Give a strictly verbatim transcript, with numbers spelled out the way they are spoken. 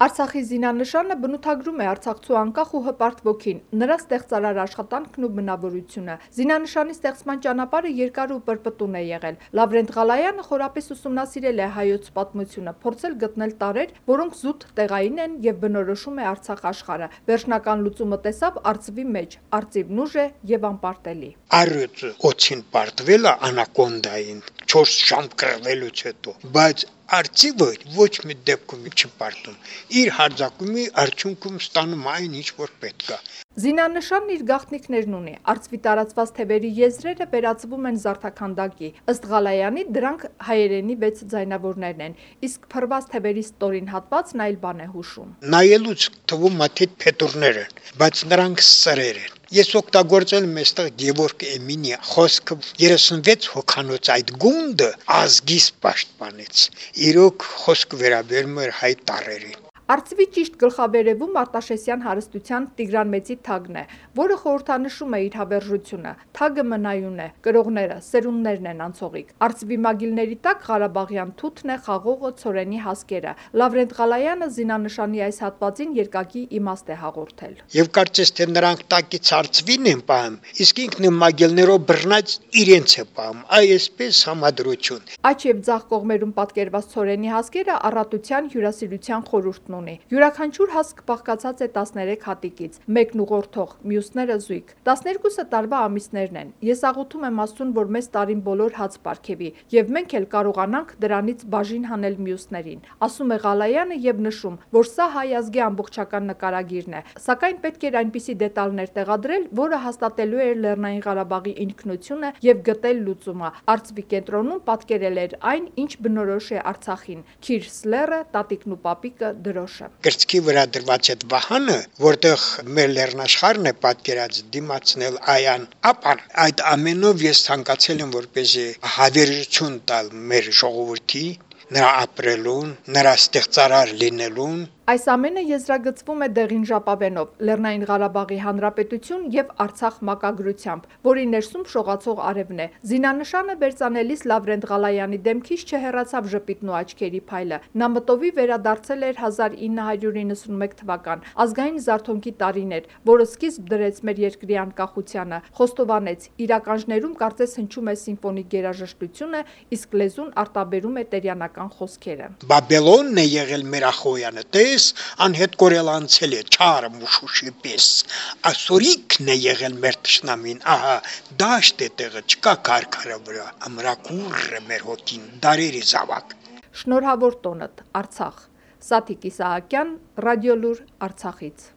Արցախի զինանշանը բնութագրում է արցախցու անկախ ու հպարտ ոգին, նրա ստեղծարար աշխատանքն ու բնավորությունը։ Զինանշանի ստեղծման ճանապարհը երկար ու պրպտուն է եղել։ Լավրենտ Ղալայանը խորապես ուսումնասիրել է հայոց պատմությունը, փորձել գտնել տարրեր, որոնք զուտ տեղային են եւ բնորոշում է Արցախ աշխարհը։ Վերջնական լուծումը տեսավ արծվի մեջ, արծիվն ուժ է եւ անպարտելի։ Առյուծը օծին պարտվել է անակոնդային չորս ժամ կռվելուց հետո, բայց արծիվը ոչ մի դեպքում չի պարտում։ Իր հարձակումի արդյունքում ստանում այն, ինչ որ պետք է։ Զինանշանն իր գաղտնիքներն ունի։ Արծվի տարածված թևերի եզրերը վերածվում են զարդաքանդակի։ Ըստ Ղալայանի դրանք հայերենի վեց ձայնավորներն են, իսկ փռված թևերի ստորին հատվածն այլ բան է հուշում։ Նայելուց թվում է թե փետուրներ են, բայց նրանք սրեր են։ Ես օգտագործել եմ այստեղ Գևորգ Էմինի խոսքը երեսունվեց հոգանոց այդ գունդը ազգիս պաշտպանեց։ Իրոք խոսքը վերաբերում էր հայ տարրերին։ Արծվի ճիշտ գլխավերևում Արտաշեսյան հարստության Տիգրան Մեծի թագն է, որը խորհրդանշում է իր հավերժությունը։ Թագը մնայուն է, կրողները, սերունդներն են անցողիկ։ Արծվի մագիլների տակ Ղարաբաղյան թութն է, խաղողը, ցորենի հասկերը։ Լավրենտ Ղալայանը զինանշանի այս հատվածին երկակի իմաստ է հաղորդել։ Եվ կարծես թե նրանք տակից արծվին են պահում, իսկ ինքն մագիլներով բռնած իրենց է պահում, այսպես համադրություն։ Աջ եւ ձախ կողմերում պատկերված ցորենի հասկերը առատության հյուրասիրության խորհուրդն ունի։ Յուրաքանչյուր հասկ բաղկացած է տասներեք հատիկից, մեկն ուղղորդող, մյուսները զույգ։ տասներկուսը տարվա ամիսներն են։ Ես աղոթում եմ Աստծուն, որ մեզ տարին բոլոր հաց պարգևի, եւ մենք էլ կարողանանք դրանից բաժին հանել մյուսներին, ասում է Ղալայանը եւ նշում, որ սա հայ ազգի ամբողջական նկարագիրն է, սակայն պետք էր այնպիսի դետալներ տեղադրել, որը հաստատելու էր Լեռնային Ղարաբաղի ինքնությունը եւ գտել լուծումը։ Արծվի կենտրոնում պատկերել էր այն, ինչ բնորոշ է Արցախին՝ Քիրս լեռը, տատիկն ու պապիկը, դրոշը։ Կրծքի վրա դրված այդ վահանը, որտեղ մեր լեռնաշխարհն է պատկերած, դիմացնել այան, ապա այդ ամենով ես ցանկացել եմ որպեսզի հավերժություն տալ մեր ժողովրդի, նրա ապրելուն, նրա ստեղծարար լինելուն։ Այս ամենը եզրագծվում է դեղին ժապավենով, Լեռնային Ղարաբաղի Հանրապետություն եւ Արցախ մակագրությամբ, որի ներսում շողացող արևն է։ Զինանշանը վերծանելիս Լավրենտ Ղալայանի դեմքից չհեռացավ ժպիտն ու աչքերի փայլը։ Նա մտովի վերադարձել էր հազար ինը հարյուր իննսունմեկ թվական, ազգային զարթոնքի տարին էր, որը սկիզբ դրեց մեր երկրի անկախությանը, խոստովանեց, իրականջներում կարծես հնչում է սիմֆոնիկ գերաժշտությունը, իսկ լեզուն արտաբերում է տերյանական խոսքերը։ Բաբելոնն է եղել մեր Ախոյանը, անհետ կորել անցել է չարը մուշուշի պես, ասորիկն է եղել մեր թշնամին, ահա դաշտ է տեղը, չկա քարքարը վրա, ամրակուր է մեր հոգին, դարերի զավակ։ Շնորհավոր տոնդ, Արցախ։ Սաթիկ Իսահակյան, Ռադիոլուր, Արցախից։